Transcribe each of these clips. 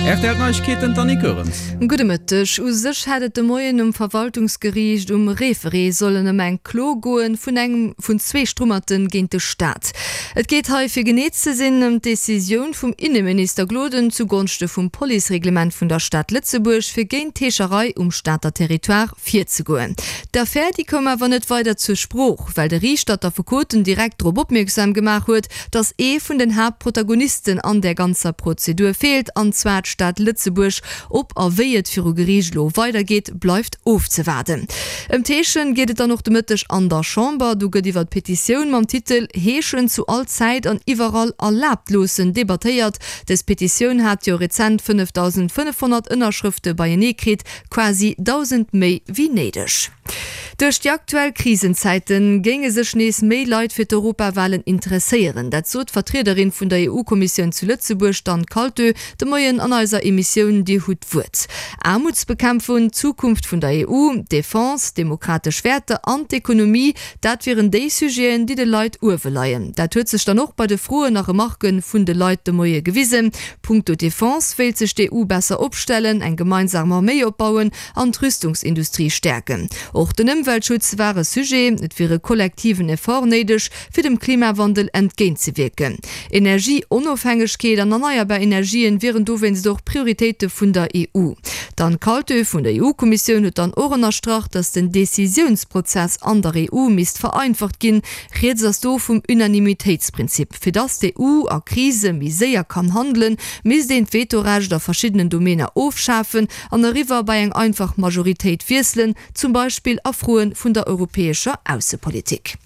Rtl Neiegkeeten, d'Annie Goerens. Gudde Mëtteg. U sech hätt et de Moien um Verwaltungsgeriicht um Référé sollen ëm eng Klo goen vun engem vun zwee Strummerte géint de Staat. Et geet hei, fir genee ze sinn, ëm d'Decisioun vum Inneminister Gloden zu Gonschte vum Policereglement vun der Stad Lëtzebuerg, fir géint d'Heescherei um Stater Territoire virzegoen. D'Affär, déi koum awer net weider zur Sprooch, well de Riichter d'Affekoten direkt drop opmierksam gemaach huet, datt ee vun den Haaptprotagonisten an där ganzer Prozedur feelt, an zwar d'Stad Lëtzebuerg. Ob a wéi et viru Geriicht elo weidergeet, bleift ofzewaarden. Ëm d'Heeschen geet et dann och de Mëtteg an der Chamber. Do gëtt iwwer d'Petitioun mam Titel Heeschen zu all Zäit an iwwerall erlaabt loossen debattéiert. Dës Petitioun hat jo rezent 5.500 Ënnerschrëfte beienee kritt, quasi 1.000 méi wéi néideg. Duerch déi aktuell Krisenzäite géinge sech nees méi Leit fir d'Europawalen interesséieren. Dat sot d'Vertriederin vun der EU-Kommissioun zu Lëtzebuerg, d'Anne Kaltö, de Moien an eiser Emissioun Dir hutt d'Wuert. Aarmutsbekämpfung, d'Zukunft vun der EU, d'Defense, demokratesch Wäerter an d'Ekonomie, dat wieren déi Sujeten, déi de Leit uewe leien. Dat huet sech dann och bei de Froen a Remarke vun de Leit de Moie gewisen. Punkto Defense wéilt sech d'EU besser opstellen, eng gemeinsam Arméi opbauen an d'Rüstungsindustrie stäerken. Och den Ëmweltschutz war e Sujet. Et wier e kollektiven Effort néideg, fir dem Klimawandel entgéintzewierken. Energieonofhängegkeet an erneierbar Energien wieren dowéinst och Prioritéite vun der EU. D'Anne Kaltö vun der EU-Kommissioun huet dann och ënnerstrach, datt den Decisiounsprozess an der EU misst vereinfacht ginn. Rieds ass do vum Unanimitéitsprinzip. Fir datt d'EU a Krise méi séier kann handelen, misst een d'Vetorecht a verschiddenen Domainer ofschafen an eriwwer bei eng einfach Majoritéit wiesselen, zum Beispill a Froe vun der europäescher Aussepolitik.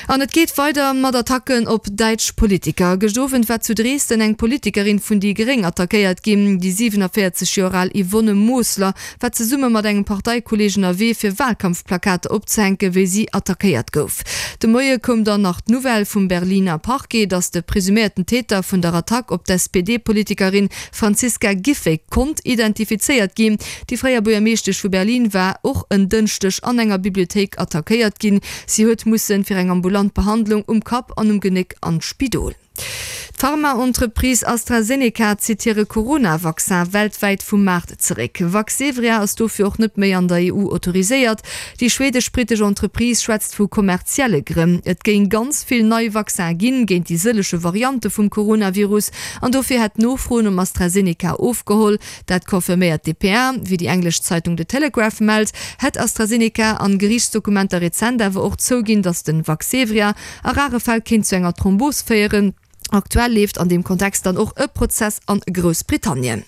An et geet weider mat Attacken op däitsch Politiker. Gëscht Owend war zu Dresden eng Politikerin vun déi Gréng attackéiert ginn. Déi 47 Joer al Yvonne Mosler war zesumme mat engem Parteikolleeg ënnerwee fir Wahlkampfplakater opzehänken, wéi si attackéiert gouf. De Moie koum dann nach d'Nouvelle vum Berliner Parquet, datt de presuméierten Täter vun der Attack op d'SPD-Politikerin Franziska Giffey konnt identifizéiert ginn. Déi fréier Buergermeeschtesch vu Berlin war och en Dënschdeg an enger Bibliothéik attackéiert ginn. Si huet mussen fir eng ambulant Behandlung um Kapp an um Genéck an d'Spidol. D'Pharmaentreprise AstraZeneca zitt hire Corona-Vaccin weltwäit vum Maart zeréck. Vaxzevria ass dofir och net méi an der EU autoriséiert. Déi schweedesch-brittesch Entreprise schwätzt vu kommerzielle Grënn. Et géing ganz vill nei Vaccin ginn géint déi sëllege Variante vum Coronavirus an dofir hätt d'Nofro nom AstraZeneca ofgeholl. Dat confirméiert d'DPA. Wéi déi englesch Zeitung The Telegraph mellt, hätt AstraZeneca an Geriichtsdokumenter rezent awer och zouginn, datt den Vaxzevria a rare Fäll kéint zu enger Thrombos féieren. Aktuell leeft an deem Kontext dann och e Prozess an Groussbritannien.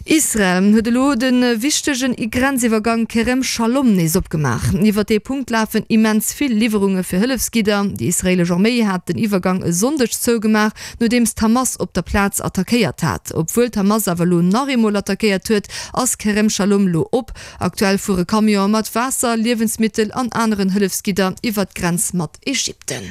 Israel huet elo de wichtege Grenziwwergang Kerem Shalom nees opgemaach. Iwwer dee Punkt lafen immens vill Liwwerunge fir Hëllefsgidder. Déi israeelesch Arméi hat den Iwwergang e Sonndeg zougemaach, nodeems d'Hamas op der Plaz attackéiert hat. Obwuel d'Hamas awer elo nach eemol attackéiert huet, ass Kerem Shalom lo op. Aktuell fuere Camionen mat Waasser, Liewensmittel an aneren Hëllefsgidder iwwer d'Grenz mat Ägypten.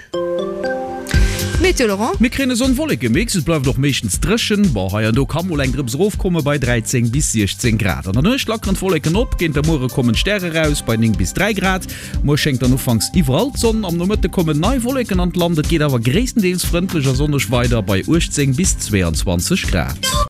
Météo Laurent. Mir kréien e Sonn-Wolleke-Mix, et bleift och meeschtens dréchen, bon hei an do ka mol eng Drëps erofkomme bei 13 bis 16 Grad. An der Nuecht lackeren d'Wolleken op, géint der Muere kommen d'Stäre raus bei 9 bis 3 Grad. Muer schéngt dann ufanks iwwerall d'Sonn, am Nomëtte kommen nei Wolleken an d'Land, et geet awer gréisstendeels frëndlech a sonneg weider bei 18 bis 22 Grad.